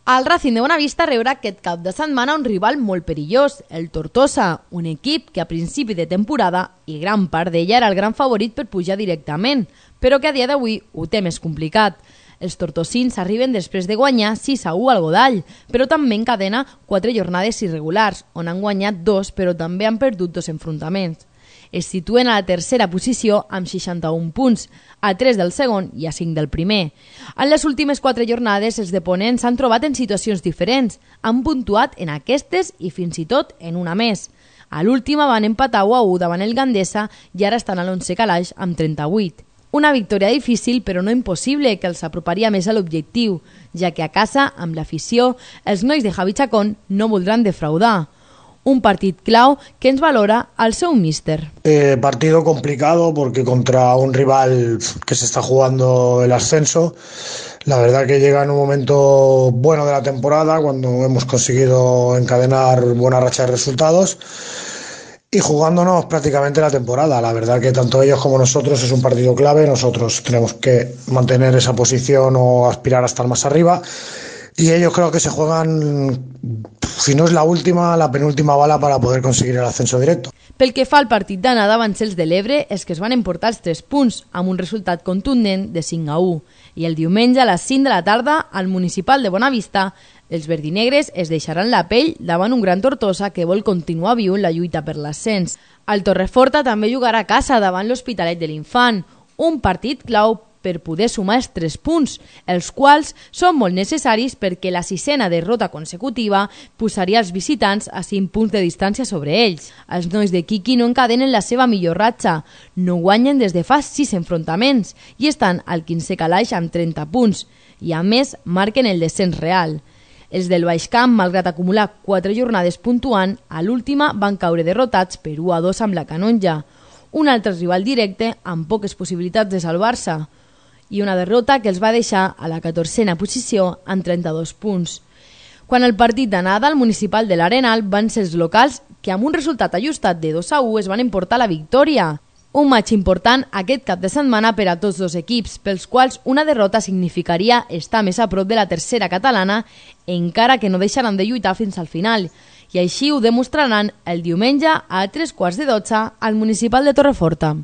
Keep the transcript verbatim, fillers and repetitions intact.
El Racing de Bonavista rebrà aquest cap de setmana un rival molt perillós, el Tortosa, un equip que a principi de temporada i gran part d'ella era el gran favorit per pujar directament, però que a dia d'avui ho té més complicat. Els tortosins arriben després de guanyar sis a u al Godall, però també encadena quatre jornades irregulars, on han guanyat dos però també han perdut dos enfrontaments. Es situen a la tercera posició amb seixanta-un punts, a tres del segon i a cinc del primer. En les últimes quatre jornades, els deponents s'han trobat en situacions diferents, han puntuat en aquestes i fins i tot en una més. A l'última van empatar u a u davant el Gandesa i ara estan a l'onze calaix amb trenta-vuit. Una victòria difícil però no impossible que els aproparia més a l'objectiu, ja que a casa, amb l'afició, els nois de Javi Chacón no voldran defraudar. Un partit clau que ens valora al seu míster. Eh, partido complicado porque contra un rival que se está jugando el ascenso. La verdad que llega en un momento bueno de la temporada cuando hemos conseguido encadenar buena racha de resultados y jugándonos prácticamente la temporada. La verdad que tanto ellos como nosotros es un partido clave. Nosotros tenemos que mantener esa posición o aspirar a estar más arriba. Y ellos creo que se juegan, si no es la última, la penúltima bala para poder conseguir el ascenso directo. Pel que fa al partit d'anada van ser els de l'Ebre els que es van emportar els tres punts, amb un resultat contundent de cinc a u. I el diumenge a les cinc de la tarda, al Municipal de Bonavista, els verdinegres es deixaran la pell davant un gran Tortosa que vol continuar viu en la lluita per l'ascens. El Torreforta també jugarà a casa davant l'Hospitalet de l'Infant, un partit clau per poder sumar els tres punts, els quals són molt necessaris perquè la sisena derrota consecutiva posaria els visitants a cinc punts de distància sobre ells. Els nois de Quiqui no encadenen la seva millor ratxa, no guanyen des de fa sis enfrontaments i estan al quinzè calaix amb trenta punts i a més marquen el descens real. Els del Baix Camp, malgrat acumular quatre jornades puntuant, a l'última van caure derrotats per u a dos amb la Canonja, un altre rival directe amb poques possibilitats de salvar-se, i una derrota que els va deixar a la catorzena posició amb trenta-dos punts. Quan el partit d'anada al Municipal de l'Arenal van ser els locals que amb un resultat ajustat de dos a u es van emportar la victòria. Un matx important aquest cap de setmana per a tots dos equips, pels quals una derrota significaria estar més a prop de la tercera catalana, encara que no deixaran de lluitar fins al final. I així ho demostraran el diumenge a tres quarts de dotze al Municipal de Torreforta.